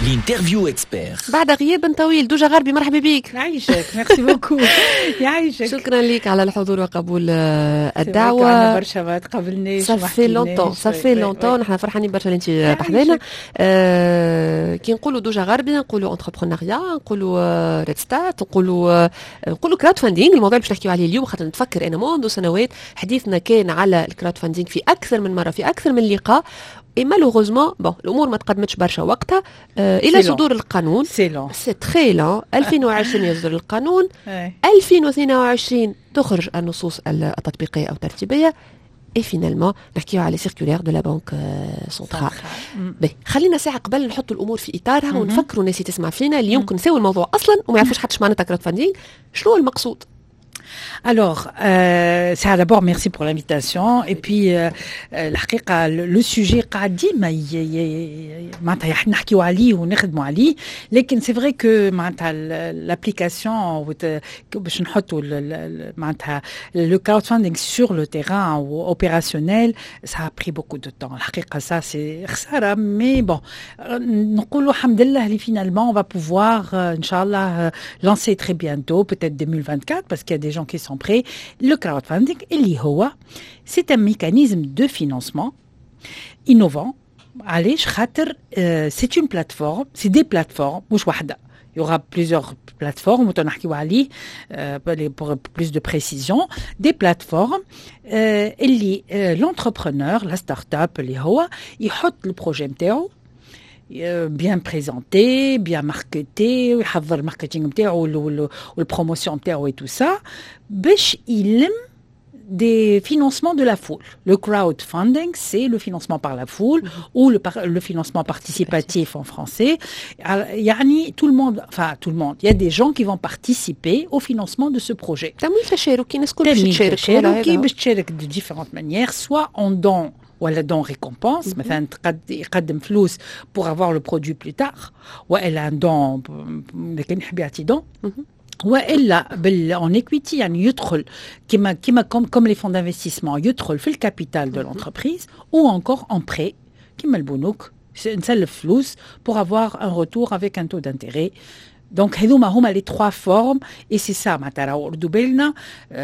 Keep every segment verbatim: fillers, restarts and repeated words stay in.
L'interview expert. بعد غياب طويل، دوجا غربي، مرحبا بك. يعيشك، merci beaucoup، يعيشك. شكرا لك على الحضور وقبول آه، الدعوة. برشا ما تقابلناش. ça fait longtemps، ça fait longtemps. نحن فرحانين برشا انت بحذانا. آه كي نقولوا دوجا غربي نقولوا entrepreneuriat، نقولوا Red Start، نقولوا نقولوا crowdfunding، الموضوع اللي باش نحكيو عليه اليوم. خاطر نتفكر انا منذ سنوات حديثنا كان على ال crowdfunding في اكثر من مره، في اكثر من لقاء، et malheureusement bon الامور ما تقدمتش برشا وقتها آه الى صدور القانون. c'est long. c'est très long. ألفين وعشرين يصدر القانون، ألفين واثنين وعشرين تخرج النصوص التطبيقية او الترتيبيه، et finalement نحكيو على circulaire de la banque centrale. باهي، خلينا ساعة قبل نحط الامور في اطارها ونفكروا الناس اللي تسمع فينا، اللي يمكن نساو الموضوع اصلا وما يعرفوش حتى معناتها crowdfunding، شنو المقصود؟ Alors, euh, ça d'abord, merci pour l'invitation. Et puis, euh, الحقيقة le sujet قاعد ديما معناتها نحكيو عليه ونخدموا عليه، لكن c'est vrai que معناتها l'application باش نحطوا معناتها le crowdfunding sur le terrain ou opérationnel، ça a pris beaucoup de temps. الحقيقة ça c'est خسارة، mais bon، نقولوا الحمد لله اللي finalement on va pouvoir إن شاء الله lancer très bientôt، peut-être deux mille vingt-quatre، parce qu'il y a des gens qui sont prêts. Le crowdfunding، اللي هو c'est un mécanisme de financement innovant. علاش؟ خاطر c'est une plateforme، c'est des plateformes، مش واحدة. Il y aura plusieurs plateformes، عليه pour plus de précision، des plateformes اللي l'entrepreneur، la start-up، اللي هو يحط ال projet نتاعو bien présenté، bien marketé، ويحضر ال marketing نتاعو وال promotion نتاعو et tout ça، باش يلم des financements de la foule. Le crowdfunding، c'est le financement par la foule ou le, le financement participatif en français. يعني tout le monde، enfin tout le monde، il y a des gens qui vont participer au financement de ce projet. تمويل تشاركي، الناس الكل باش تمويل تشارك. تشاركي، باش تشارك de différentes manières، soit en don ولا don récompense، مثلا تقد يقدم فلوس pour avoir le produit plus tard، والا un don اذا كان يحب يعطي don، والا بال en equity، يعني يدخل كما كما comme comme les fonds d'investissement، يدخل في ال capital de l'entreprise، ou encore en prêt كما البنوك، نسلف فلوس pour avoir un retour avec un taux d'intérêt. Donc هذوما هما les trois formes et c'est ça معناتها راهو ردوا بالنا،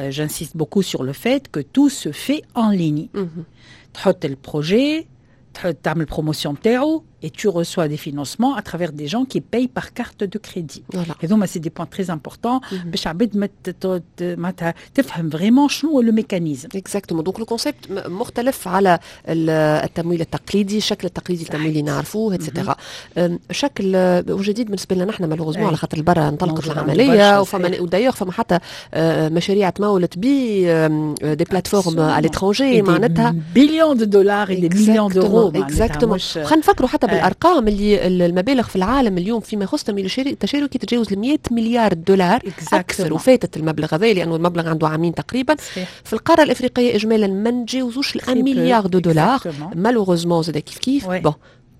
j'insiste beaucoup sur le fait que tout se fait en ligne. تحط ال projet، تعمل promotion نتاعو et tu reçois des financements à travers des gens qui payent par carte de crédit. Voilà. Et donc c'est des points très importants باش عباد ما ت- معناتها تفهم vraiment شنو هو le mécanisme. exactement، donc le concept مختلف على ال- التمويل التقليدي، الشكل التقليدي التمويلي اللي نعرفوه et cetera، شكل آه، وجديد بالنسبة لنا نحن malheureusement، أي. على خاطر برا انطلقت موجود عنده العملية برشا، وفما صحيح. و d'ailleurs فما حتى آه، مشاريع تمولت ب des plateformes à l'étranger معناتها billions de dollars et des millions d'euros. exactement. خلينا نفكروا حتى بالارقام، اللي المبالغ في العالم اليوم فيما يخص التمويل التشاركي تتجاوز ال مية مليار دولار اكثر، وفاتت المبلغ هذا لانه المبلغ عنده عامين تقريبا. صحيح. في القارة الافريقية اجمالا ما نتجاوزوش ال un milliard de dollars malheureusement، زاد كيف كيف. bon،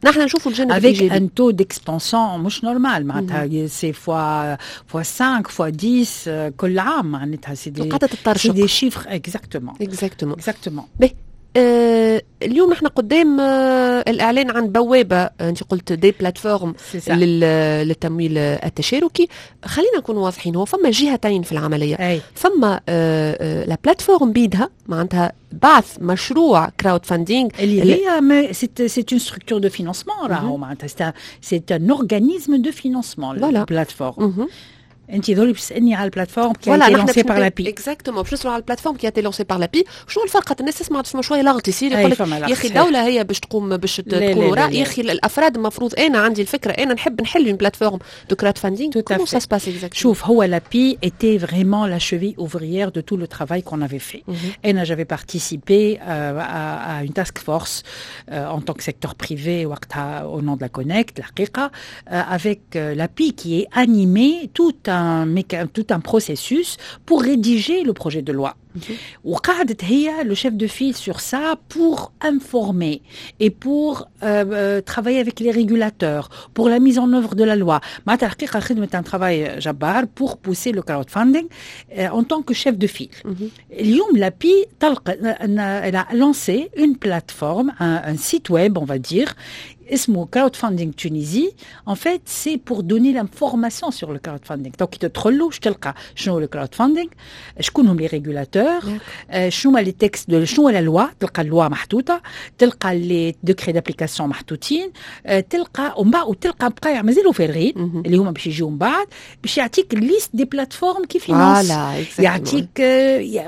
نحن نشوفوا الجانب avec un taux d'expansion مش normal، معناتها c'est fois fois cinq، fois dix كل عام، معناتها c'est des قاعدة تطرشق. c'est des chiffres، exactement. exactement. exactement. باهي، آه اليوم نحن قدام آه الاعلان عن بوابه، آه انت قلت des plateformes للتمويل التشاركي. خلينا نكون واضحين، هو فما جهتين في العمليه. أي. فما آه آه la plateforme بيدها، معناتها بعث مشروع crowdfunding. اللي هي c'est une structure de financement راهو، معناتها c'est un organisme de financement la plateforme. انت ذولي بتسالني على ال plateforme qui a été lancée par l'API. exactement، باش نسالوا على ال plateforme qui a été lancée par l'API. شنو الفرق؟ خاطر الناس تسمع تسمع شوية لغط يصير، يقول لك يا اخي الدولة هي باش تقوم باش تكون وراء، يا اخي الافراد المفروض انا عندي الفكره، انا نحب نحل une plateforme de crowdfunding، comment ça se passe exactement؟ شوف، هو l'API était vraiment la cheville ouvrière de tout le travail qu'on avait fait. انا j'avais participé euh, à, à une task force euh, en tant que secteur privé وقتها au nom de la Connect الحقيقة euh, avec l'API qui est animé tout un tout un processus pour rédiger le projet de loi. وقعدت هي le chef de file sur ça pour informer et pour euh, euh, travailler avec les régulateurs pour la mise en œuvre de la loi. معناتها الحقيقة خدمت un travail جبار pour pousser le crowdfunding euh, en tant que chef de file. اليوم l'API طلق elle a lancé une plateforme، un, un site web on va dire. اسمه crowdfunding Tunisie، en fait c'est pour donner l'information sur le crowdfunding. donc كي تدخل له تلقى شنو le crowdfunding، شكون هم les régulateurs، شنو هما les textes، شنو la loi، تلقى la loi محطوطه، تلقى les décrets d'application محطوطين، تلقى ومن بعد وتلقى بقايع مازالوا فارغين اللي هما باش يجيو من بعد، باش يعطيك liste des plateformes qui financent، يعطيك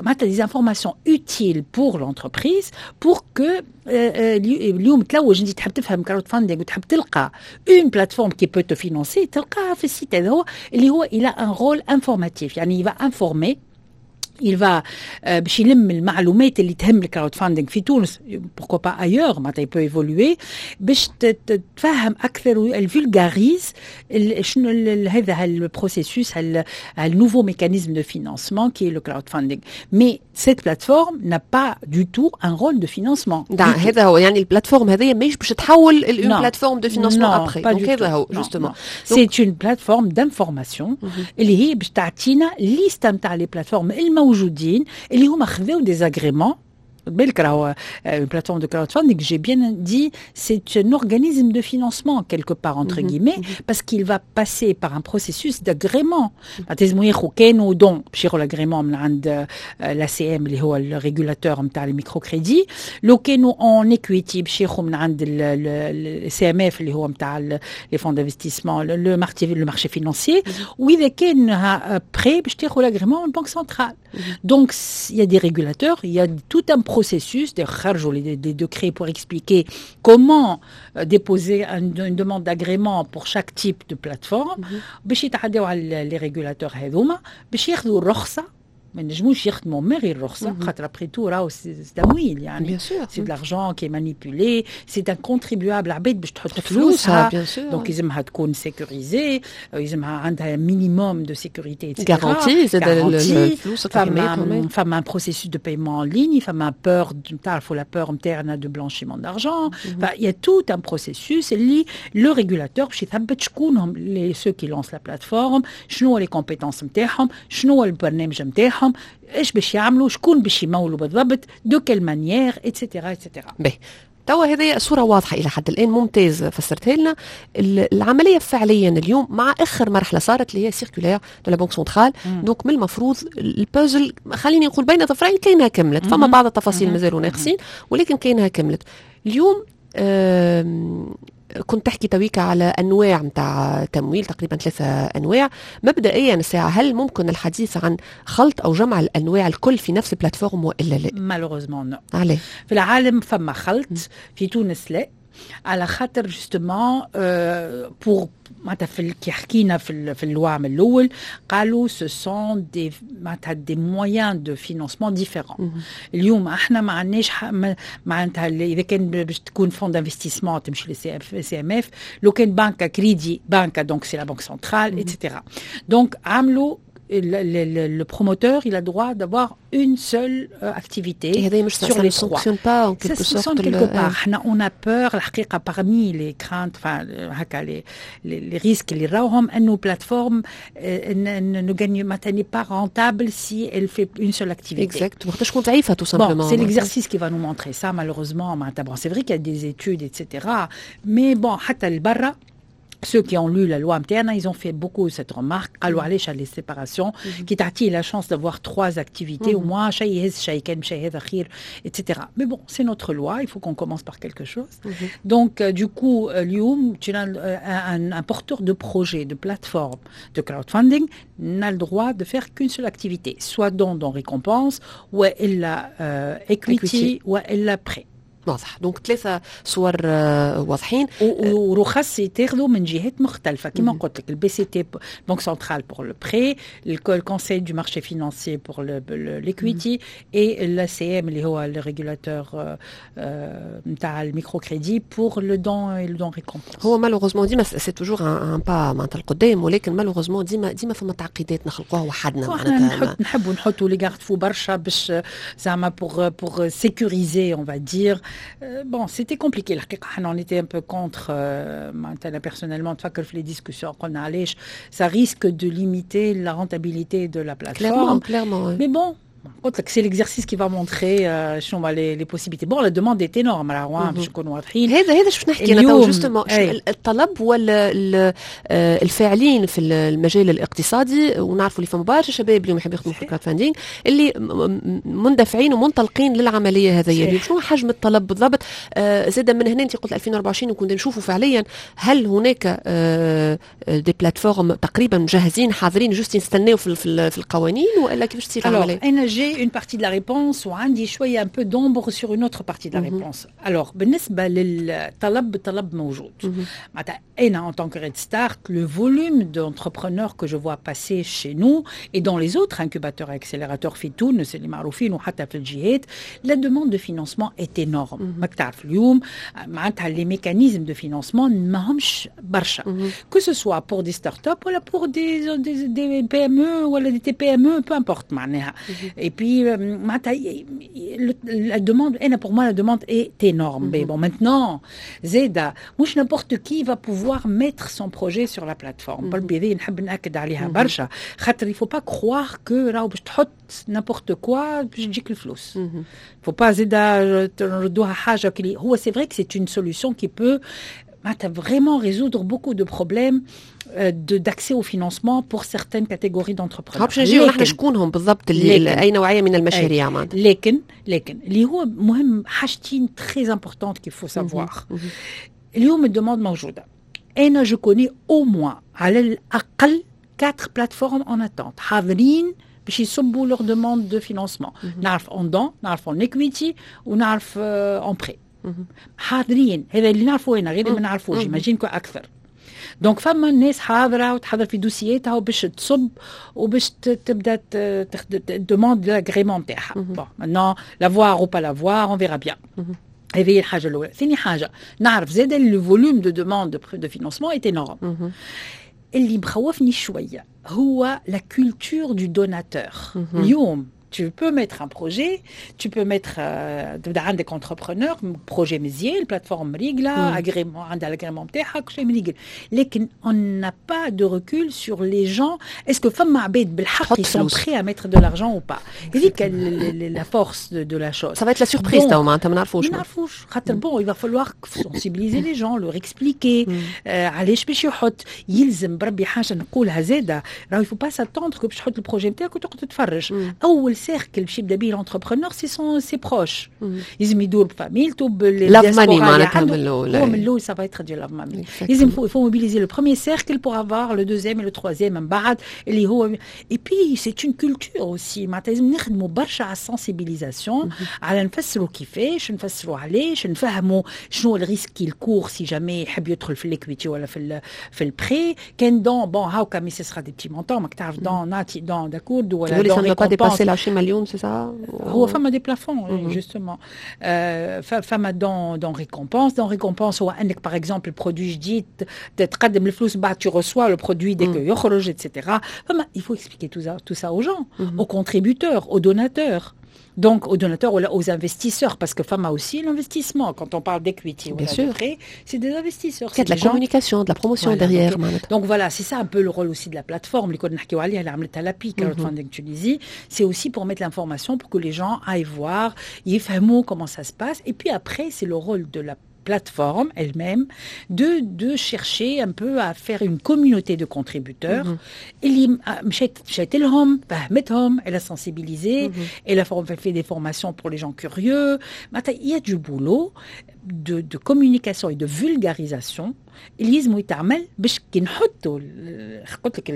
معناتها des informations utiles pour l'entreprise pour que اليوم تلوج انت تحب تفهم crowdfunding وتحب تلقى une plateforme qui peut te financer، تلقاها في ال site هذا هو اللي هو il a un rôle informatif، يعني il va informer، il va باش يلم المعلومات اللي تهم ال crowdfunding في تونس، pourquoi pas ailleurs، معناتها peut évoluer باش تفهم اكثر، elle vulgarise شنو هذا ال processus، ال nouveau mécanisme de financement qui est le crowdfunding. mais cette plateforme n'a pas du tout un rôle de financement. هذا هو، يعني ال plateforme هذه ماهيش باش تحول une plateforme de financement après، donc هذا هو justement. c'est une plateforme d'information اللي هي باش تعطينا liste نتاع les plateformes الموجودين اللي هما خذاو des agréments. بالك راهو une plateforme de crowdfunding، j'ai bien dit، c'est un organisme de financement quelque part entre guillemets، parce qu'il va passer par un processus d'agrément. لازم ياخذ كانوا don باش ياخذ l'agrément من عند l'ACM اللي هو ال régulateur نتاع ال microcrédit، لو كانوا en equity باش ياخذ من عند ال CMF اللي هو نتاع les fonds d'investissement، le marché le marché financier، واذا كان prêt باش تاخذ l'agrément من banque centrale. donc il y a des régulateurs، il y a tout un processus، خرجوا les, des décrets pour expliquer comment déposer une demande d'agrément pour chaque type de plateforme باش يتعداو على les régulateurs هذوما باش ياخذوا الرخصه. ما نجموش يخدموا من غير رخصه، خاطر après tout راهو تمويل، يعني c'est de l'argent qui est manipulé، c'est un contribuable، عباد باش تحط فلوسها، donc يلزمها تكون sécurisée، يلزمها عندها minimum de sécurité. garantie زاد الفلوس. فما فما un processus de paiement en ligne، فما peur، تعرفوا la peur نتاعنا de blanchiment d'argent. il y a tout un processus اللي le régulateur باش يثبت شكون هم les ceux qui lancent la plateforme، شنو les compétences نتاعهم، شنو البرنامج نتاعهم، ايش باش يعملوا، شكون باش يمولوا بالضبط، de quelle manière، et cetera et cetera. باهي، توا هذه صورة واضحة إلى حد الآن، ممتاز فسرتها لنا. العملية فعليا اليوم مع آخر مرحلة صارت اللي هي circulaire de la banque centrale، donc من المفروض البازل خليني نقول بين ظفرين كاينها كملت، فما بعض التفاصيل مازالوا ناقصين ولكن كاينها كملت. اليوم كنت تحكي تويكا على انواع نتاع تمويل، تقريبا ثلاثة انواع مبدئيا. الساعة هل ممكن الحديث عن خلط او جمع الانواع الكل في نفس ال plateforme والا لا؟ malheureusement non. عليه؟ في العالم فما خلط، في تونس لا، على خاطر justement pour معناتها في كي حكينا في في ال loi من الاول قالوا ce sont des معناتها des moyens de financement différents. اليوم احنا ما عندناش معناتها اذا كان باش تكون fonds d'investissement تمشي لل CMF، لو كان بنكه كريدي بنكه donc c'est la banque centrale et cetera. donc عملوا le, le, le promoteur، il a droit d'avoir une seule euh, activité sur ça les ne sanctionne pas en quelque ça sorte؟ sanctionne quelque part. On a peur، الحقيقة parmi les craintes، enfin هكا les, les, les risques اللي راوهم انه plateforme ne gagne معناتها n'est pas rentable si elle fait une seule activité. Exact. وقتاش تكون ضعيفة tout simplement. Bon, c'est l'exercice qui va nous montrer ça malheureusement. Bon, c'est vrai qu'il y a des études et cetera. Mais bon، حتى البرا ceux qui ont lu la loi متاعنا، ils ont fait beaucoup cette remarque. قالوا علاش les séparations كي تعطيه la chance d'avoir trois activités au moins شيء يهز شيء كان شيء هذا خير et cetera. Mais bon، c'est notre loi، il faut qu'on commence par quelque chose. Donc euh, du coup اليوم tu as un, un porteur de projet de plateforme de crowdfunding n'a le droit de faire qu'une seule activité، soit don don récompense والا euh, equity, equity. والا prêt. واضح، donc ثلاثة صور آه، واضحين. ورخص يتاخذوا من جهات مختلفه، كما قلت لك ال BCT، banque centrale pour le prêt، ال conseil du marché financier pour l'equity، et l'ACM اللي هو ال régulateur نتاع ال microcrédit pour le don، le don récompense. هو malheureusement ديما c'est toujours un pas معناتها القدام، ولكن malheureusement ديما ديما فما تعقيدات نخلقوها وحدنا. معناتها نحبوا نحطوا les garde-fous برشا باش زعما pour pour sécuriser on va dire. bon، c'était compliqué الحقيقه، احنا on était un peu contre. معناتها personnellement تفكر في les discussions قلنا علاش ça risque de limiter la rentabilité de la plateforme. Clairement, clairement. Mais bon. قلت لك c'est l'exercice qui va montrer شنو هما les les possibilités. Bon, la demande est énorme راهو، باش نكونوا واضحين. هذا هذا باش نحكي انا تو justement، الطلب ولا الفاعلين في المجال الاقتصادي، ونعرفوا اللي فما برشا شباب اليوم يحبوا يخدموا في ال crowdfunding اللي مندفعين ومنطلقين للعملية هذه. شنو حجم الطلب بالضبط؟ آه زاد من هنا انت قلت ألفين وأربعة وعشرين وكنا نشوفوا فعليا هل هناك آه des plateformes تقريبا مجهزين حاضرين juste يستناو في, في, في القوانين والا كيفاش تصير العملية؟ انا j'ai une partie de la réponse وعندي شوية un peu d'ombre sur une autre partie de la réponse. Alors بالنسبة للطلب، الطلب موجود. معناتها انا en tant que Red Start, le volume d'entrepreneurs que je vois passer chez nous et dans les autres incubateurs et accélérateurs في تونس اللي معروفين وحتى في الجهات، la demande de financement est énorme. ماك تعرف اليوم معناتها les mécanismes de financement ماهمش برشا، que ce soit pour des startups ولا pour des, des, des P M E ولا des T P M E, peu importe معناها. Et puis معناتها la demande، انا pour moi la demande est énorme. Mais bon, maintenant زاده مش n'importe qui va pouvoir mettre son projet sur la plateforme. بربي نحب ناكد عليها برشا، خاطر il faut pas croire que راهو باش تحط n'importe quoi باش تجيك الفلوس. Faut pas زاده نردوها حاجة هو c'est vrai que c'est une solution qui peut vraiment résoudre beaucoup de problèmes d'accès au financement pour certaines catégories d'entrepreneurs. باش نجيو نحن شكونهم بالضبط اللي اي نوعية من المشاريع معناتها. لكن لكن اللي هو مهم، حاجتين très importantes qu'il faut savoir. اليوم ال demande موجوده. انا je connais au moins على الاقل quatre plateformes en attente حاضرين باش يصبوا leur demande de financement. نعرف en don، نعرف en equity ونعرف en prêt. حاضرين، هذا اللي نعرفه انا، غير اللي ما نعرفوش j'imagine que اكثر. Donc فما الناس حاضره وتحضر في دوسياتها وباش تصب وباش تبدا demande l'agrément نتاعها. Bon, maintenant, l'avoir ou pas l'avoir, on verra bien. هذه هي الحاجة الاولى. ثاني حاجه، نعرف زاد le volume de demande de financement est énorme. اللي مخوفني شوية هو la culture du donateur. اليوم tu peux mettre un projet, tu peux mettre تبدا عندك entrepreneur, projet مزيان، plateforme مريقله، agrément عندها l'agrément نتاعها، كل شيء مريقل، لكن on n'a pas de recul sur les gens. Est-ce que فما عباد بالحق ils sont prêts à mettre de l'argent ou pas؟ هذيك la force de, de la chose. Ça va être la surprise تو معناتها ما نعرفوش. ما نعرفوش خاطر bon, il va falloir sensibiliser les gens, leur expliquer علاش باش يحط. يلزم بربي حاجة نقولها زاده، راهو il faut pas s'attendre que باش تحط ال projet نتاعك وتقعد تتفرج. اول cercle باش يبدا به l'entrepreneur, c'est son ses proches. لازم يدور بفاميلته. Love money معناتها من الاول. هو من الاول ça va être du love money. لازم il faut mobiliser le premier cercle pour avoir le deuxième et le troisième من بعد اللي هو. Et puis c'est une culture aussi. معناتها لازم نخدموا برشا على ال sensibilisation، على نفسروا كيفاش، نفسروا علاش، نفهموا شنو ال risque qu'il court si jamais يحب يدخل في l'equity ولا في في ال prêt. كان don, bon, هاكا mais ce sera des petits montants. ماك تعرف don نعطي don, d'accord, ولا don récompense عشرين مليون, c'est ça؟ هو فما des plafonds justement. فما don don récompense. Don récompense هو انك par exemple produit جديد تقدم الفلوس، بعد tu reçois le produit dès que يخرج et cetera. فما il faut expliquer tout ça, tout ça aux gens, aux contributeurs, aux donateurs. Donc, aux donateurs ou aux investisseurs, parce que فما aussi l'investissement. Quand on parle d'equity ou de prêt, c'est des investisseurs. Il y a de la communication, de la promotion voilà, derrière. Donc, donc voilà, c'est ça un peu le rôle aussi de la plateforme. اللي Crowdfunding Tunisie, c'est aussi pour mettre l'information, pour que les gens aillent voir, يفهموا comment ça se passe. Et puis après, c'est le rôle de la plateforme elle-même de, de chercher un peu à faire une communauté de contributeurs. اللي مشات مشات لهم فهمتهم، elle a sensibilisé, elle a fait des formations pour les gens curieux. معناتها il y a du boulot de, de communication et de vulgarisation اللي لازم يتعمل باش كي نحطوا، قلت لك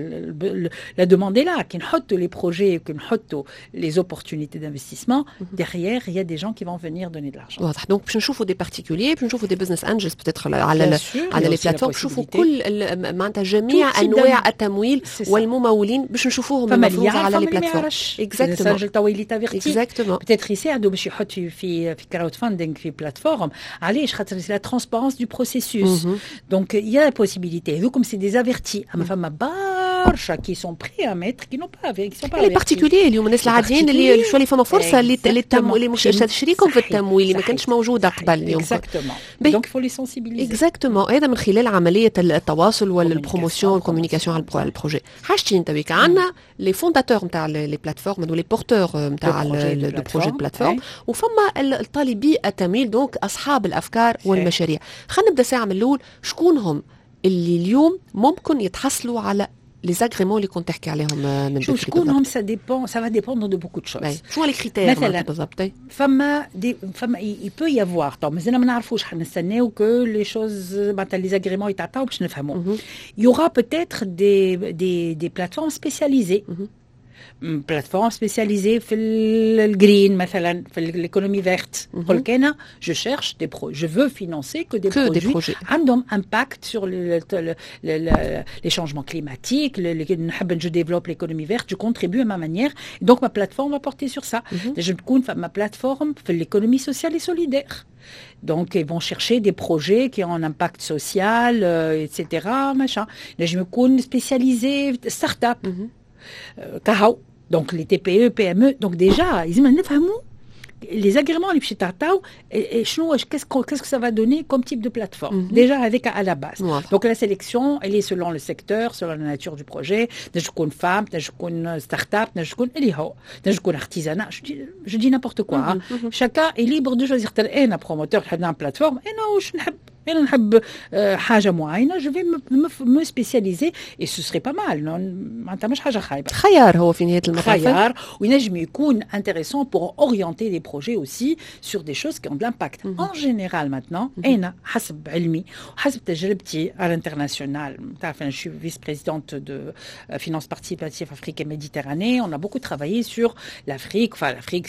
la demande est là، كي نحطوا les projets، كي نحطوا les opportunités d'investissement, derrière il y a des gens qui vont venir donner de l'argent. واضح. Donc باش نشوفوا des particuliers، باش نشوفوا des business angels peut-être على على les plateformes، نشوفوا كل معناتها جميع انواع التمويل والممولين باش نشوفوهم المفروض على les plateformes. Exactement. توا il est averti. Exactement. Peut-être يساعدوا باش يحط في في في crowdfunding في plateforme. علاش؟ خاطر c'est la transparence du processus. Donc il y a la possibilité. Donc comme c'est des avertis, اما فما برشا qui sont prêts à mettre, qui n'ont pas qui sont pas les particuliers اليوم، الناس العاديين اللي شو اللي فما فرصة اللي اللي مش تشريكهم في التمويل اللي ما كانش موجودة قبل اليوم. exactement، donc faut les sensibiliser. exactement، هذا من خلال عملية التواصل وال promotion وال communication على ال projet. حاجتين تويك عندنا les fondateurs نتاع les plateformes و les porteurs نتاع de projets plateforme، وفما الطالبي التمويل، donc اصحاب الافكار والمشاريع. خلينا نبدا ساعة من الاول، شكون هم اللي اليوم ممكن يتحصلوا على les agréments اللي كنت تحكي عليهم من بكري؟ شكون هم؟ ça dépend، ça va dépendre de beaucoup de choses. شنو les critères؟ مثلا بالضبط فما des فما il peut y avoir، تو مازلنا ما نعرفوش، حنستناو que les choses معناتها les agréments يتعطاو باش نفهموا. il y aura peut-être des des des plateformes spécialisées، plateforme spécialisée في ال green مثلا، في l'économie verte. نقول لك انا je cherche des pro je veux financer que des que produits des projets عندهم impact sur les changements climatiques، نحب je développe l'économie verte، je contribue à ma manière، donc ma plateforme va porter sur ça. تنجم تكون فما plateforme في l'économie sociale et solidaire. Donc, ils vont chercher des projets qui ont un impact social, euh, et cetera. Machin. نجم يكون spécialisé start-up. كهو donc les TPE PME. donc déjà لازم نفهموا les agréments اللي باش يتعطاو شنو، qu'est-ce qu'est-ce que ça va donner comme type de plateforme mm -hmm. déjà avec à la base. donc la sélection elle est selon le secteur، selon la nature du projet. تنجم تكون femme، تنجم تكون start-up، تنجم تكون اللي هو، تنجم تكون artisanat، je dis, je dis n'importe quoi. mm -hmm. chacun est libre de choisir. انا promoteur نحب نعمل plateforme، انا واش نحب، انا نحب حاجة معينه، je vais me spécialiser et ce serait pas mal، معناتها مش حاجة خايبه. خيار هو في نهاية المطاف. خيار، وينجم يكون intéressant pour orienter des projets aussi sur des choses qui ont de l'impact. Mm -hmm. En général maintenant، انا حسب علمي وحسب تجربتي à l'international، تعرف انا je suis vice-présidente de finance participative Afrique et Méditerranée، on a beaucoup travaillé sur l'Afrique، enfin l'Afrique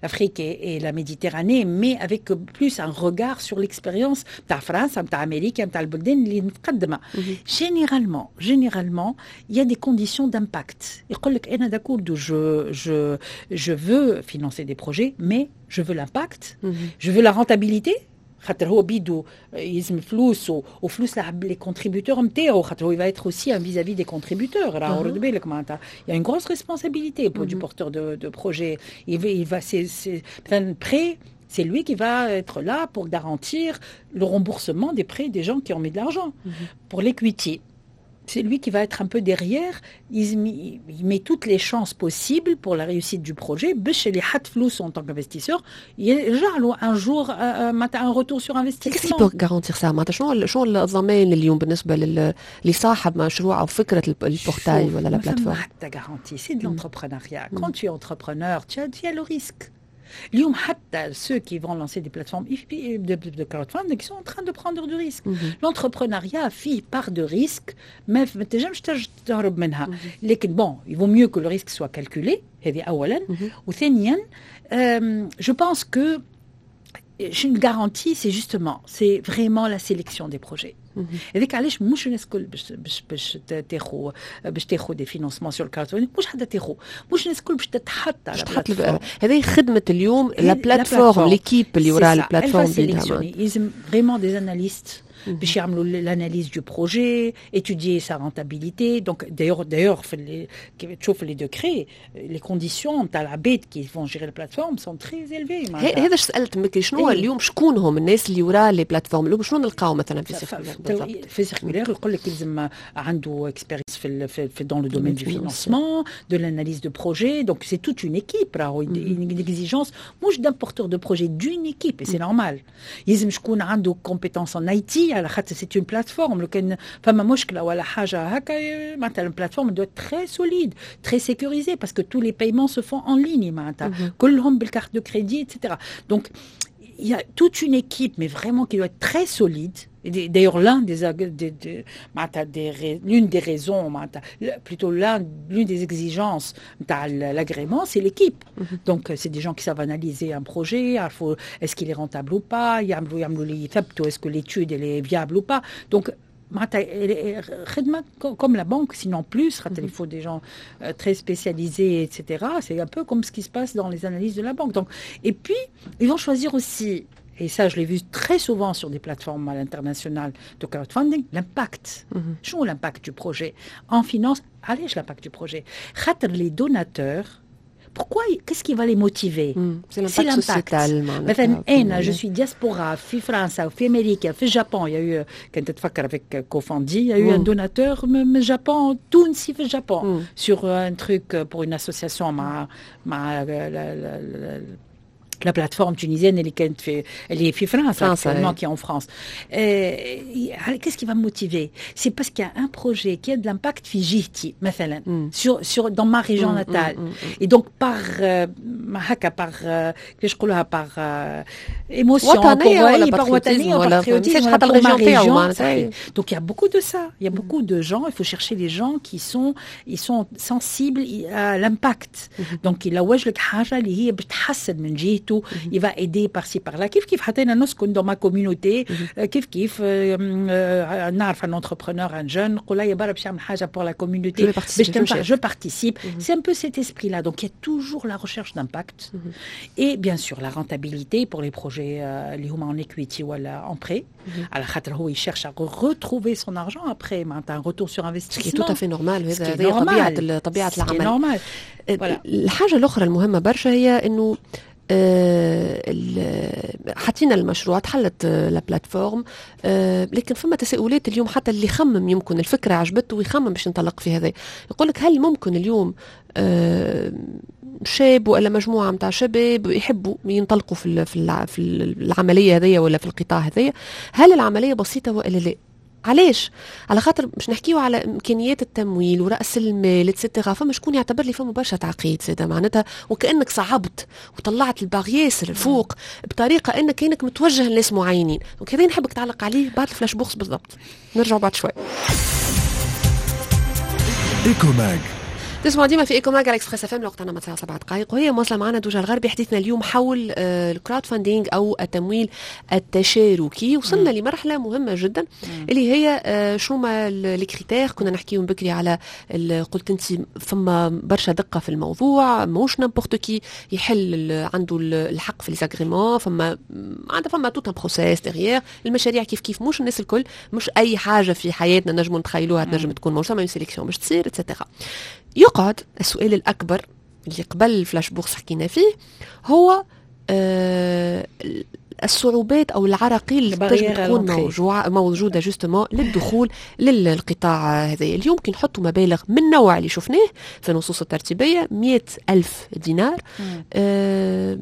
l'Afrique et, et la Méditerranée، mais avec plus un regard sur l'expérience تاع فرنسا، نتاع امريكا، نتاع البلدان اللي متقدمه. généralement généralement il y a des conditions d'impact. يقول لك انا d'accord، je je je veux financer des projets، mais je veux l'impact، je veux la rentabilité، خاطر هو بيدو يلزم فلوس وفلوس les contributeurs نتاعو، خاطر هو il va être aussi un vis-à-vis des contributeurs. راهو رد بالك، معناتها il y a une grosse responsabilité pour du porteur de, de projet. il va, il va c'est c'est مثلا prêt، c'est lui qui va être là pour garantir le remboursement des prêts des gens qui ont mis de l'argent. Mm -hmm. Pour l'equity, c'est lui qui va être un peu derrière. Il, il met toutes les chances possibles pour la réussite du projet. باش اللي حط فلوسه en tant qu'investisseur يرجع له un jour un retour sur investissement. Qu'est-ce qui peut garantir ça؟ معناتها شنو شنو الضمان اليوم بالنسبة لصاحب مشروع أو فكرة ال portail ولا la plateforme؟ حتى garantie، c'est de l'entrepreneuriat. Quand tu es entrepreneur، tu as, tu as le risque. اليوم حتى ceux qui vont lancer des plateformes de, de crowdfunding qui sont en train de prendre du risque. Mm -hmm. L'entrepreneuriat فيه part de risque ما تنجمش تهرب منها. لكن bon، il vaut mieux que le risque soit calculé، هذه اولا. وثانيا je pense que une garantie، c'est justement، c'est vraiment la sélection des projets. هذيك علاش مش الناس الكل باش باش باش تاخذ باش تاخذ des financements sur ال crowdfunding، مش حتى تاخذ، مش الناس الكل باش تتحط على هذه خدمة اليوم la plateforme، l'équipe اللي وراء ال plateforme. لازم vraiment des analystes باش يعملوا l'analyse du projet، étudier sa rentabilité. donc d'ailleurs d'ailleurs في تشوف les décrets، les conditions تاع العباد qui vont gérer la plateforme sont très élevées. هذا سالت بكري، شنو اليوم شكون هم الناس اللي وراء les plateformes اليوم؟ شنو نلقاو مثلا في circulaire؟ في circulaire يقول لك لازم عنده expérience في في dans le domaine du financement، de l'analyse de projet. donc c'est toute une équipe، راهو une exigence مش d'un porteur de projet، d'une équipe، et c'est normal. يلزم شكون عنده compétences en IT، على خاطر c'est une plateforme، لو كان فما مشكلة ولا حاجة هكا، معناتها ال plateforme doit être très solide، très sécurisée، parce que tous les paiements se font en ligne، معناتها كلهم بال carte de crédit، et cetera. donc il y a toute une équipe، mais vraiment qui doit être très solide. D'ailleurs، l'un des, des, des, des l'une des raisons، plutôt l'une des exigences de l'agrément، c'est l'équipe. Mm -hmm. Donc، c'est des gens qui savent analyser un projet، est-ce qu'il est rentable ou pas، est-ce que l'étude elle est viable ou pas. Donc، comme la banque، sinon plus، il faut des gens très spécialisés، et cetera. C'est un peu comme ce qui se passe dans les analyses de la banque. Donc، et puis، ils vont choisir aussi et ça je l'ai vu très souvent sur des plateformes à l'international de crowdfunding, l'impact. شنو l'impact du projet؟ En finance, علاش l'impact du projet؟ خاطر les donateurs, pourquoi, qu'est-ce qui va les motiver؟ C'est l'impact sociétal. مثلا انا je suis diaspora في فرنسا وفي امريكا في ال Japon. Il y a eu, كنت تتفكر avec Cofandi, il y a eu un donateur من ال Japon, تونسي في ال Japon, sur un truc pour une association مع مع la plateforme tunisienne اللي كانت في اللي في فرنسا actuellement, qui est en France. Euh, qu'est-ce qui va me motiver؟ C'est parce qu'il y a un projet qui a de l'impact في جهتي مثلا sur sur dans ma région natale. Et donc par هكا par كيفاش نقولوها par émotion, وطنية par وطنية, par patriotisme pour ma région. Donc il y a beaucoup de ça, il y a beaucoup de gens, il faut chercher les gens qui sont ils sont sensibles à l'impact. Donc يلوج لك حاجة اللي هي بتحسن من جهته, il va aider par-ci par-là. كيف كيف حتى انا نسكن dans ma communauté, كيف كيف نعرف un entrepreneur, un jeune, نقول له يا برا باش يعمل حاجه pour la communauté باش تنفع, je participe. C'est un peu cet esprit là. Donc il y a toujours la recherche d'impact et bien sûr la rentabilité pour les projets اللي هما en equity ولا en prêt, على خاطر هو il cherche à retrouver son argent après, معناتها un retour sur investissement. Ce qui est tout à fait normal. هذا طبيعه طبيعه العمل. الحاجه الاخرى المهمه برشا هي انه آه، حطينا المشروع, تحلت la plateforme، آه، لكن فما تساؤلات اليوم. حتى اللي خمم يمكن الفكره عجبته ويخمم باش ينطلق في هذا, يقول لك هل ممكن اليوم آه، شاب ولا مجموعه نتاع شباب يحبوا ينطلقوا في في العمليه هذيا ولا في القطاع هذايا, هل العمليه بسيطه والا لا؟ علاش؟ على خاطر باش نحكيو على امكانيات التمويل وراس المال et cetera, فما شكون يعتبر لي فما برشا تعقيد زاد, معناتها وكانك صعبت وطلعت ال barre ياسر الفوق بطريقه انك كانك متوجه لناس معينين. donc هذا نحبك تعلق عليه بعد ال flash bourse بالضبط. نرجعوا بعد شوي. Ecomag. تسمعوا ديما في Ecomag على Express FM. الوقت عندنا ساعة سبع دقائق وهي مواصله معنا دوجا الغربي. حديثنا اليوم حول آه، ال crowdfunding او التمويل التشاركي. وصلنا مم. لمرحله مهمه جدا اللي هي آه، شو ما les critères. كنا نحكيو بكري على قلت انت فما برشا دقه في الموضوع, ماهوش n'importe qui يحل عنده الحق في les agréments, فما عندها فما tout un processus derrière. المشاريع كيف كيف, مش الناس الكل, مش اي حاجه في حياتنا نجموا نتخيلوها تنجم تكون موجوده, فما sélection باش تصير et cetera. يقعد السؤال الأكبر اللي قبل ال flash bourse حكينا فيه هو آه الصعوبات او العراقيل اللي تنجم تكون موجوعة موجوده justement للدخول للقطاع هذا. اليوم كي نحطوا مبالغ من النوع اللي شفناه في النصوص الترتيبيه, مئة ألف دينار, آه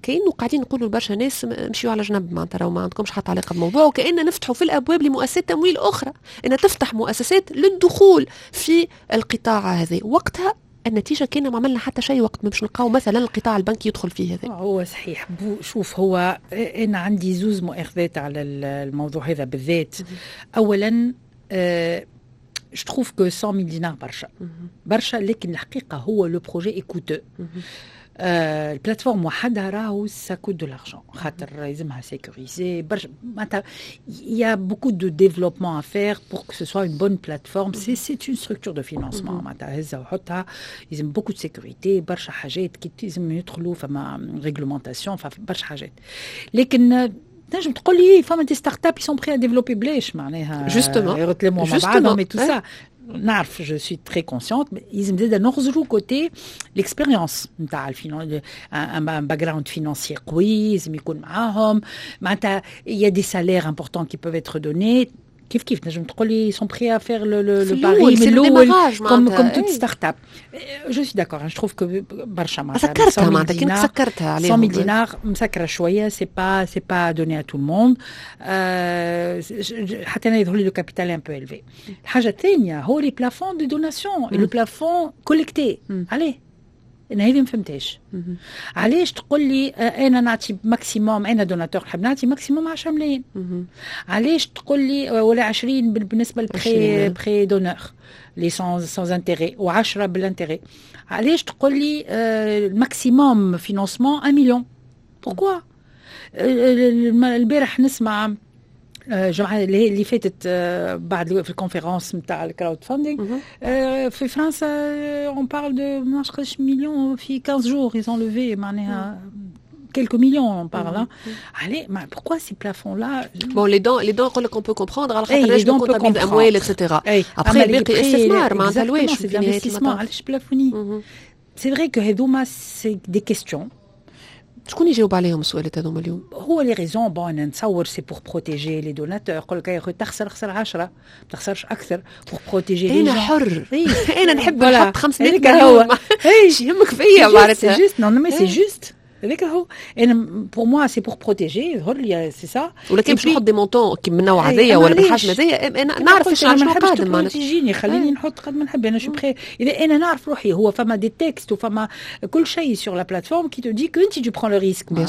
كأنه قاعدين نقولوا لبرشا ناس مشيوا على جنب, معناتها راهو ما عندكمش حتى علاقه بالموضوع, وكأن نفتحوا في الابواب لمؤسسات تمويل اخرى ان تفتح مؤسسات للدخول في القطاع هذا. وقتها النتيجه كان ما عملنا حتى شيء وقت ما باش نلقاو مثلا القطاع البنكي يدخل فيه هذا. هو صحيح. شوف, هو انا عندي زوز مؤاخذات على الموضوع هذا بالذات. اولا je trouve que مية ألف دينار برشا برشا, لكن الحقيقه هو le projet est coûteux. آه ال plateforme وحدها راهو ça coûte de l'argent, خاطر لازمها sécuriser برشا, معناتها il y a beaucoup de développement à faire pour que ce soit une bonne plateforme. c'est c'est une structure de financement, معناتها هزها وحطها, لازم beaucoup de sécurité, برشا حاجات كي لازم يدخلوا, فما réglementation, برشا حاجات. لكن تنجم تقول لي فما des startups sont prêtes à développer بلاش, معناها justement. يتلموا مع بعضهم et tout ça. نعرف, je suis très consciente. لازم زاد نغزروا côté l'expérience نتاع un background financier قوي لازم يكون معاهم, معناتها il y a des salaires importants qui peuvent être donnés. كيف كيف نجم تقول لي sont prêts à faire le le pari من الاول comme comme toute startup. je suis d'accord, je trouve que برشا. معناتها سكرتها, معناتها كنت سكرتها عليهم. مية دينار مسكره شويه, c'est pas c'est pas donné à tout le monde. حتى انا يظهر لي le capital un peu élevé. الحاجه الثانيه هو les plafonds de donation, le plafond collecté. عليه انا هذه ما فهمتهاش. علاش تقول لي انا نعطي maximum, انا donateur نحب نعطي maximum عشرة ملايين؟ علاش تقول لي ولا عشرين بالنسبه لل prêt prêt d'honneur les sans sans intérêt وعشرة بال intérêt؟ علاش تقول لي ال maximum financement un million؟ pourquoi؟ البارح نسمع الجمعه اللي فاتت بعد في ال conférence نتاع ال crowdfunding في فرنسا, on parle de ما نعرفش مليون في quinze jours ils ont levé. معناها quelques millions on parle. Allez, pourquoi ces plafonds-là؟ Bon, les dons, les dons يقول لك on peut comprendre على خاطر نجم comptabiliser اموال et cetera. Après الباقي استثمار، معناتها علاش؟ c'est l'investissement، علاش plafonner؟ C'est vrai que هذوما c'est des questions. شكون يجاوب عليهم السؤالات هذوما اليوم؟ هو les raisons، bon، انا نتصور c'est pour protéger les donateurs. يقول لك يا اخي تخسر خسر عشرة، ما تخسرش اكثر، pour protéger les انا حر، انا نحب نحط خمسمية مليون، ايش يهمك فيا؟ معناتها c'est juste، non mais c'est juste، هذاك هو. انا pour moi c'est pour protéger، يظهر لي c'est ça. ولكن باش نحط des montants كي من النوع هذايا ولا بالحجم هذايا، انا نعرف شنو قادم. معناتها تجيني، خليني نحط قد ما نحب، انا je suis prêt اذا انا نعرف روحي. هو فما des textes وفما كل شيء sur la plateforme qui te dit que انت tu prends le risque. انا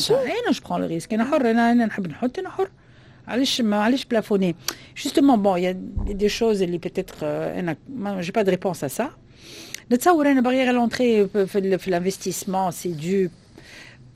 je prends le risque، انا حر، انا انا نحب نحط، انا حر. علاش ما علاش plafonner justement؟ bon، y a des choses اللي peut-être انا j'ai pas de réponse à ça. نتصور انا barrière à l'entrée في في l'investissement، c'est dû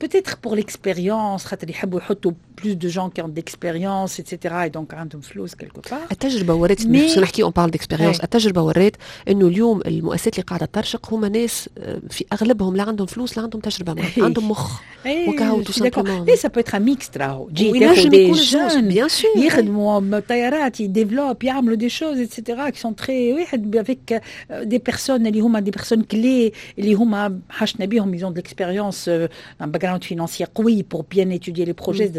peut-être pour l'expérience، خاطر يحبوا يحطوا plus de gens qui ont d'expérience et cetera et donc عندهم فلوس quelque part. التجربة ورات، باش نحكي on parle d'expérience، التجربة ورات انه اليوم المؤسسات اللي قاعدة ترشق هما ناس في اغلبهم لا عندهم فلوس لا عندهم تجربه، عندهم مخ وكهو tout simplement. mais ça peut être mixte، راهو تجي تاخذ des jeunes bien sûr يخدموا طيارات، ي développe، يعملوا des choses et cetera qui sont très واحد avec des personnes اللي هما des personnes clés اللي هما حاشتنا بهم، ils ont de l'expérience، un background financier قوي pour bien étudier les projets.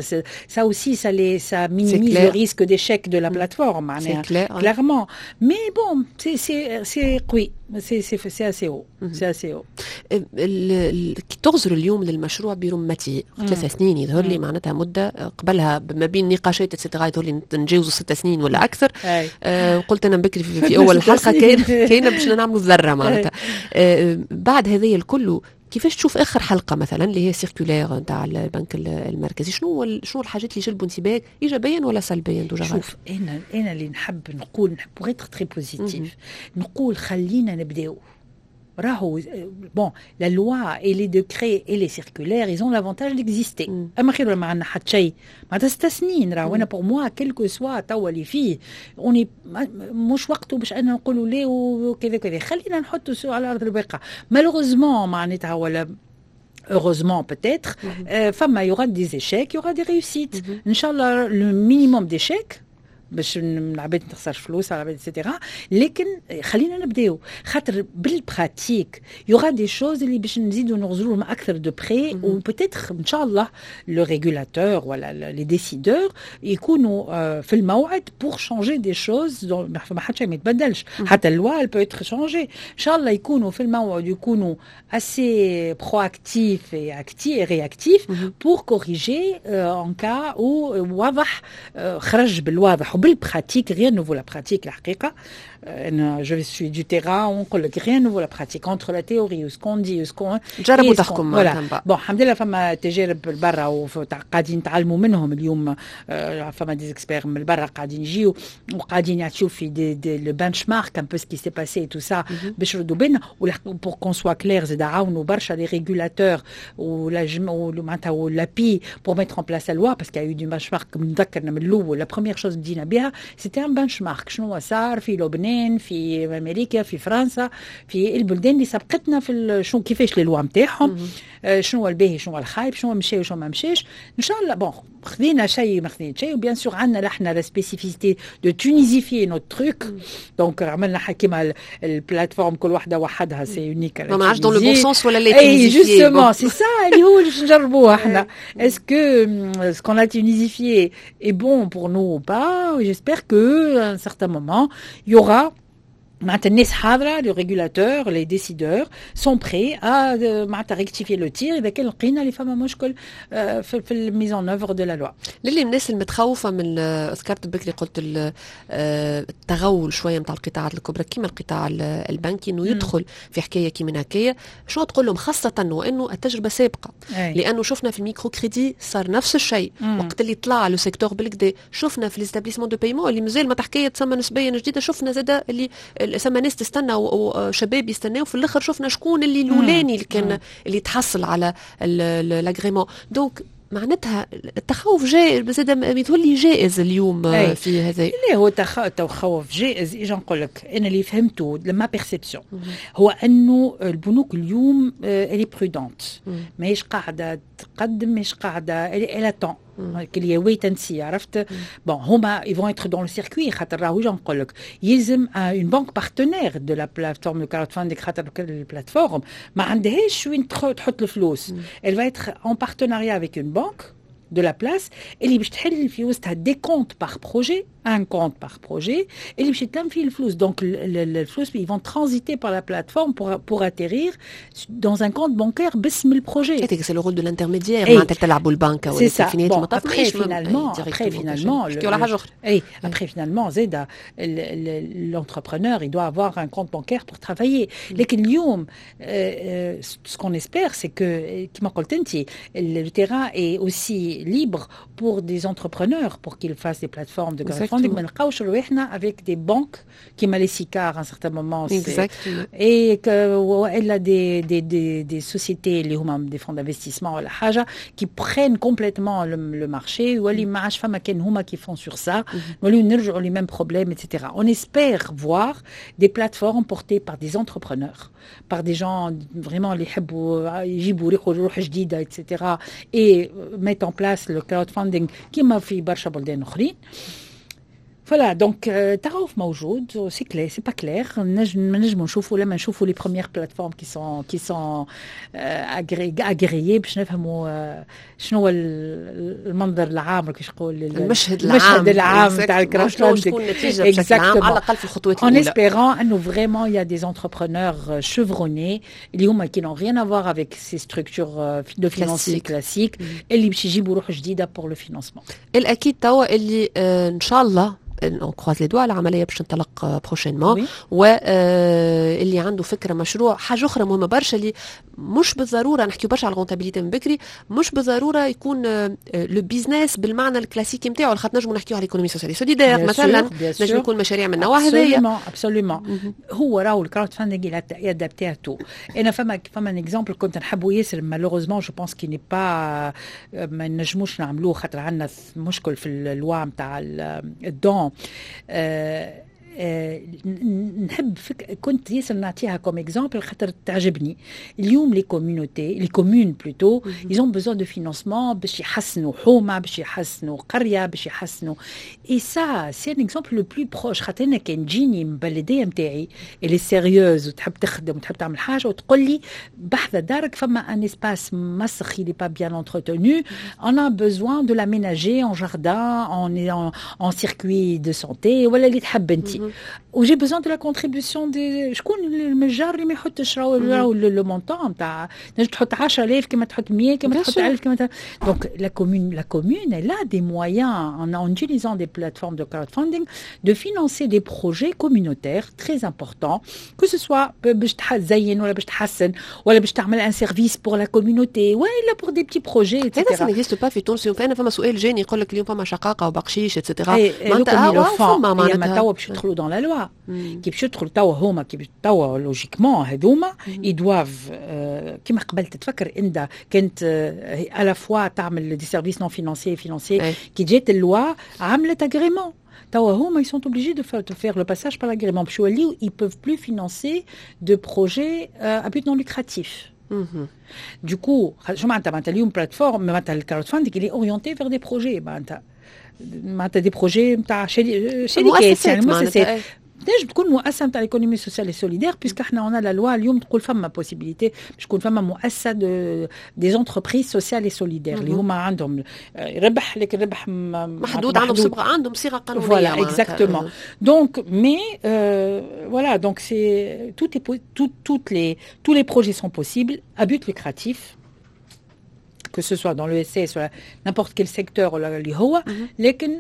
Ça aussi, ça, les, ça minimise le risque d'échec de la plateforme. C'est clair. Clairement. Mais bon, c'est oui, c'est assez haut. C'est assez haut. كي تغزر اليوم للمشروع برمته، ثلاث سنين يظهر لي معناتها مده، قبلها ما بين نقاشات et cetera يظهر لي نتجاوزوا ست سنين ولا اكثر. آه قلت انا بكري في, في اول الحلقة كاين كاين باش نعملوا ذره معناتها. آه بعد هذه الكل، كيفاش تشوف اخر حلقة مثلا اللي هي circulaire نتاع البنك المركزي؟ شنو شنو الحاجات اللي جلبوا انتباهك ايجابيا ولا سلبيا دوجا؟ شوف، انا انا اللي نحب نقول، نحب pour être très positif، نقول خلينا نبداو. راهو bon، la loi et les décrets et les circulaires، ils ont l'avantage d'exister. اما خير ما عندنا حتى شيء، معناتها ست سنين. راهو انا pour moi، quel que soit توا اللي فيه، on مش وقته باش انا نقولوا لا وكذا كذا. خلينا نحطوا على ارض الواقع. malheureusement معناتها ولا heureusement peut-être, euh, فما il y aura des échecs، il y aura des réussites. إن شاء الله le minimum d'échecs باش العباد ما تخسرش فلوس على العباد et cetera. لكن خلينا نبداو، خاطر بال pratique y aura des choses اللي باش نزيدو نغزروا اكثر de près، و peut-être ان شاء الله le régulateur ولا les décideurs يكونوا في الموعد pour changer des choses. ما حتى شيء ما يتبدلش، حتى la loi peut être changée. ان شاء الله يكونوا في الموعد، يكونوا assez proactifs et actifs et réactifs pour corriger en cas où واضح خرج بالواضح وبال pratique. rien ne vaut la pratique. الحقيقة انا je suis du terrain ونقول لك rien ne vaut la pratique، entre la théorie و ce qu'on dit و ce qu'on جربوا تحكم. voilà. bon، الحمد لله فما تجارب برا وقاعدين نتعلموا منهم. اليوم فما des experts من برا قاعدين يجيو وقاعدين يعطيو في des, des le benchmark un peu ce qui s'est passé، tout ça، باش نردوا بالنا. pour qu'on soit clair، زاد عاونوا برشا les régulateurs ولا معناتها l'API pour mettre en place la loi، parce que y a eu du benchmark. نذكرنا من الاول، la première chose بدينا بها c'était un benchmark، شنو صار في لبنان، في امريكا، في فرنسا، في البلدان اللي سبقتنا في شنو كيفاش les lois نتاعهم، شنو هو الباهي، شنو هو الخايب، شنو مشى وشنو ما مشاش. ان شاء الله bon، خذينا شيء ما خذينا شيء، و bien sûr عندنا احنا la spécificité de tunisifier notre truc، donc عملنا كيما ال plateforme كل واحدة وحدها، c'est unique. ما نعرفش dans le bon sens ولا لا. اي justement، c'est ça اللي هو اللي نجربوه احنا، est-ce que ce qu'on a tunisifié est bon pour nous ou pas. j'espère que à un certain moment il y aura معناتها الناس حاضره، les régulateurs، les décideurs sont prêts à معناتها rectifier le tir اذا كان لقينا اللي فما مشكل في في ال mise en œuvre de la loi. للي الناس المتخوفه من، ذكرت بكري قلت التغول شوية نتاع القطاعات الكبرى كيما القطاع البنكي انه يدخل في حكاية كيما هكايا، شنو تقول لهم؟ خاصة وانه التجربة سابقه، أي. لانه شفنا في ال microcrédit صار نفس الشيء وقت اللي طلع le secteur بالكدا، شفنا في les établissements de paiement اللي مازال ما حكاية تسمى نسبيا جديده، شفنا زاد اللي ثم ناس تستنى وشباب يستناو، في الاخر شفنا شكون اللي الاولاني اللي كان اللي تحصل على l'agrément. donc معناتها التخوف جائز، زاد يتولي جائز اليوم. أي. في هذا اللي هو التخوف جائز. اجا نقول لك، انا اللي فهمته، ma perception، هو انه البنوك اليوم elle est prudente، ماهيش قاعدة تقدم، مش قاعده، elle attend اللي wait and see، عرفت؟ bon، هما ils vont être dans le circuit، خاطر راهو نقول لك يلزم une banque partenaire de la plateforme de crowdfunding، خاطر ال plateforme ما عندهاش وين تحط الفلوس. elle va être en partenariat avec une banque de la place اللي باش تحل في وسطها des comptes par projet، un compte par projet اللي باش يتلم فيه الفلوس. donc الفلوس ils vont transiter par la plateforme pour pour atterrir dans un compte bancaire باسم ال projet. c'est le rôle de l'intermédiaire، معناتها تلعبوا البنكه. c'est ça. bon، après finalement après finalement اي après finalement زيد l'entrepreneur il doit avoir un compte bancaire pour travailler. لكن اليوم ce qu'on espère، c'est que كما قلت انت، le terrain est aussi libre pour des entrepreneurs pour qu'ils fassent des plateformes de crowdfunding، ما نلقاوش رواحنا avec des banques كيما les SICAR à un certain moment et que والا des des des des sociétés اللي هما des fonds d'investissement ولا حاجة qui prennent complètement le, le marché، يولي ما عادش فما كان هما qui font sur ça، نوليو نرجعوا les mêmes problèmes et cetera. on espère voir des plateformes portées par des entrepreneurs، par des gens vraiment اللي يحبوا يجيبوا روح جديدة et cetera et mettre en place le crowdfunding كيما في برشا بلدان اخرين. voilà، donc تخوف موجود، c'est clair، c'est pas clair. نجم نجموا نشوفوا لما نشوفوا les premières plateformes qui sont qui sont agréées باش نفهموا شنو هو المنظر العام، كيفاش نقول، المشهد العام. المشهد العام تاع ال crowdfunding. تكون النتيجة بشكل عام، على الاقل في الخطوات الاولى. En espérant انه vraiment il y a des entrepreneurs chevronnés اللي هما qui n'ont rien à voir avec ces structures de financement classiques، اللي باش يجيبوا روح جديدة pour le financement. الاكيد توا اللي ان شاء الله on croise les doigts، العملية باش تنطلق prochainement، واللي عنده فكره، مشروع، حاجة اخرى مهمة برشا، اللي مش بالضرورة نحكيو برشا على ال rentabilité من بكري، مش بالضرورة يكون le business بالمعنى الكلاسيكي نتاعو، خاطر نجموا نحكيو على l'économie sociale solidaire مثلا، نجم يكون مشاريع من النوع هذايا. absolument، هو راهو ال crowdfunding adapté à tout. انا فما فما un exemple كنت نحبه ياسر، malheureusement je pense qu'il n'est pas، ما نجموش نعملوه خاطر عندنا مشكل في ال loi نتاع ال don. آه آه نحب فك... كنت ياسر نعطيها comme exemple خاطر تعجبني. اليوم les communautés، les communes plutôt، ils ont besoin de financement باش يحسنوا حومه، باش يحسنوا قريه، باش يحسنوا، et ça c'est un exemple le plus proche، خاطر انا كان تجيني من بلديه نتاعي اللي sérieuse وتحب تخدم وتحب تعمل حاجة وتقول لي بحذا دارك فما un espace مسخ، il est pas bien entretenu، on a besoin de l'aménager en jardin، en en, en circuit de santé ولا اللي تحب انت، و j'ai besoin de la contribution des شكون الجار اللي ما يحطش؟ راهو le montant نتاع تنجم تحط عشرة آلاف كما تحط مية كما تحط ألف كما. donc la commune la commune elle a des moyens en, en utilisant des plateformes de crowdfunding de financer des projets communautaires très importants، que ce soit باش تزين ولا باش تحسن ولا باش تعمل un service pour la communauté ولا pour des petits projets. هذا ça n'existe pas في تونس. فانا فما سؤال جاني، يقول لك اليوم فما شقاقه وبقشيش et cetera. معناتها فما معناتها توا باش يدخلوا dans la loi، كي باش يدخلوا توا هما، كي توا logiquement هذوما ils doivent، كيما قبل تتفكر انت كانت à la fois تعمل des services non financiers، financiers، كي جات ال loi عملت agrément. توا هما ils sont obligés de faire, de faire le passage par l'agrément باش يوليو ils peuvent plus financer de projets euh, à but non lucratif. Du coup، شو معناتها؟ معناتها اليوم plateforme، معناتها ال crowdfunding اللي orienté vers des projets، معناتها معناتها des projets نتاع شركات، يعني مؤسسات، تنجم تكون مؤسسة نتاع l'économie sociale solidaire، puisque احنا on a la loi اليوم تقول فما possibilité باش تكون فما مؤسسة de des entreprises sociales solidaires اللي هما عندهم ربح لكن ربح محدود، عندهم صبغه، عندهم صيغة قانونيه. voilà، exactement. donc mais voilà، donc c'est tout tout toutes les tous les projets sont possibles à but lucratif، que ce soit dans l'E S S ou n'importe quel secteur اللي هو، لكن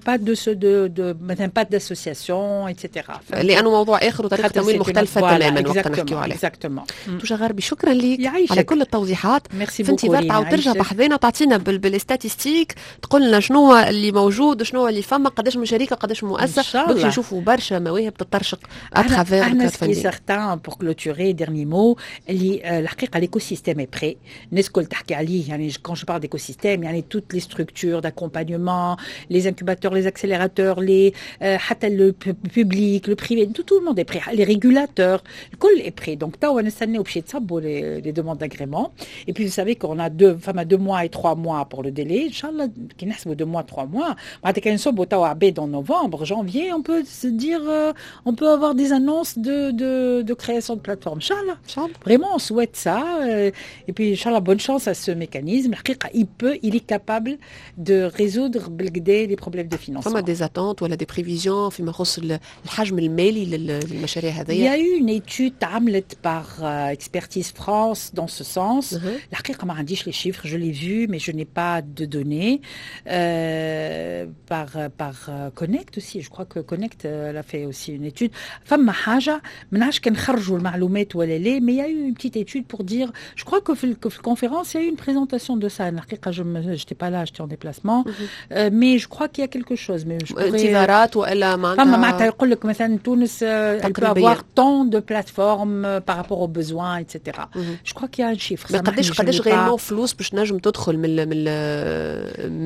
pas de de de مثلا pas d'association et cetera. لانه موضوع اخر وطريقه تمويل مختلفة تماما وقت نحكيو عليه. exactement. توجا غربي، شكرا لك على كل التوضيحات. ميرسي. في انتظار تعاود ترجع بحذانا وتعطينا بال statistiques، تقول لنا شنو اللي موجود، شنو اللي فما، قداش من شركه، قداش مؤسسه، باش نشوفوا برشا مواهب تطرشق à travers. احنا ce qui est certain، pour clôturer، dernier mot، اللي الحقيقة l'écosystème est prêt، الناس الكل تحكي عليه. يعني quand je parle d'écosystème, يعني toutes les structures d'accompagnement, les incubateurs, les accélérateurs, les حتى le public, le privé, tout, tout le monde est prêt, les régulateurs, الكل est prêt. Donc توا نستناو باش يتصبوا les, les demandes d'agrément. Et puis vous savez qu'on a deux, فما deux mois et trois mois pour le délai. إن شاء الله كي نحسبوا deux mois, trois mois, معناتها كان نصبوا توا عباد en novembre, janvier, on peut se dire, euh, on peut avoir des annonces de, de, de création de plateforme. إن شاء الله. Vraiment, on souhaite ça. Euh, et puis, إن شاء الله, bonne chance à ce mécanisme. Il peut, il est capable de résoudre بالقدا les problèmes de financement. فما des attentes ولا des prévisions فيما يخص الحجم المالي للمشاريع هذه؟ Il y a eu une étude تعملت par euh, Expertise France dans ce sens. الحقيقة ما عنديش les chiffres, je l'ai vu, mais je n'ai pas de données. Euh, par, par Connect aussi, je crois que Connect elle a fait aussi une étude. فما حاجة ما نعرفش كان خرجوا المعلومات ولا لا, mais il y a eu une petite étude pour dire, je crois que في في conférence, il y a eu une présentation de ça. الحقيقة je n'étais pas là, j'étais en déplacement, mm -hmm. euh, mais je crois qu'il y a quelque chose. Mais je pourrais انتظارات والا معناتها فما معناتها يقول لك مثلا تونس elle peut avoir tant de plateformes par rapport aux besoins, et cetera. Mm -hmm. Je crois qu'il y a un chiffre. قداش قداش réellement فلوس باش نجم تدخل من من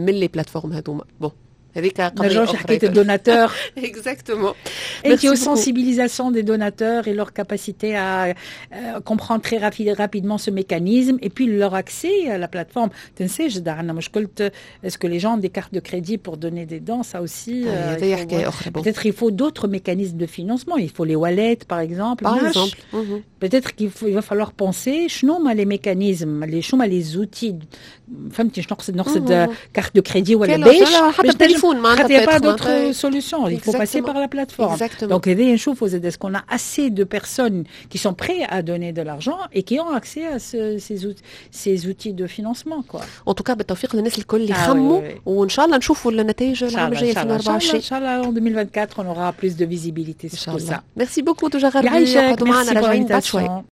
من les plateformes هذوما؟ Bon, هذيك قضية أخرى، حكاية ال donateurs. Exactement. Et puis aux sensibilisation des donateurs et leur capacité à euh, comprendre très rapidement ce mécanisme et puis leur accès à la plateforme. تنساش عندنا مشكلة est-ce que les gens ont des cartes de crédit pour donner des dons؟ Ça aussi, euh, peut-être il faut d'autres mécanismes de financement. Il faut les wallets, par exemple. Par exemple. Peut-être qu'il faut, il va falloir penser شنو هما les mécanismes, les شنو هما les outils. فهمتي شنو نقصد؟ نقصد carte de crédit ولا باش حتى التليفون. معناتها il n'y a pas d'autre solution, il faut passer par la plateforme. Donc هذا نشوفوا زاد est-ce qu'on a assez de personnes qui sont prêtes à donner de l'argent et qui ont accès à ce, ces, outils, ces outils de financement, quoi. En tout cas, بالتوفيق للناس الكل اللي خموا وان شاء الله نشوفوا النتائج العام الجاي ألفين وأربعة وعشرين. ان شاء الله en deux mille vingt-quatre, on aura plus de visibilité sur tout ça. Merci beaucoup دوجا غربي. يعيشك، معنا راجعين بعد شوي.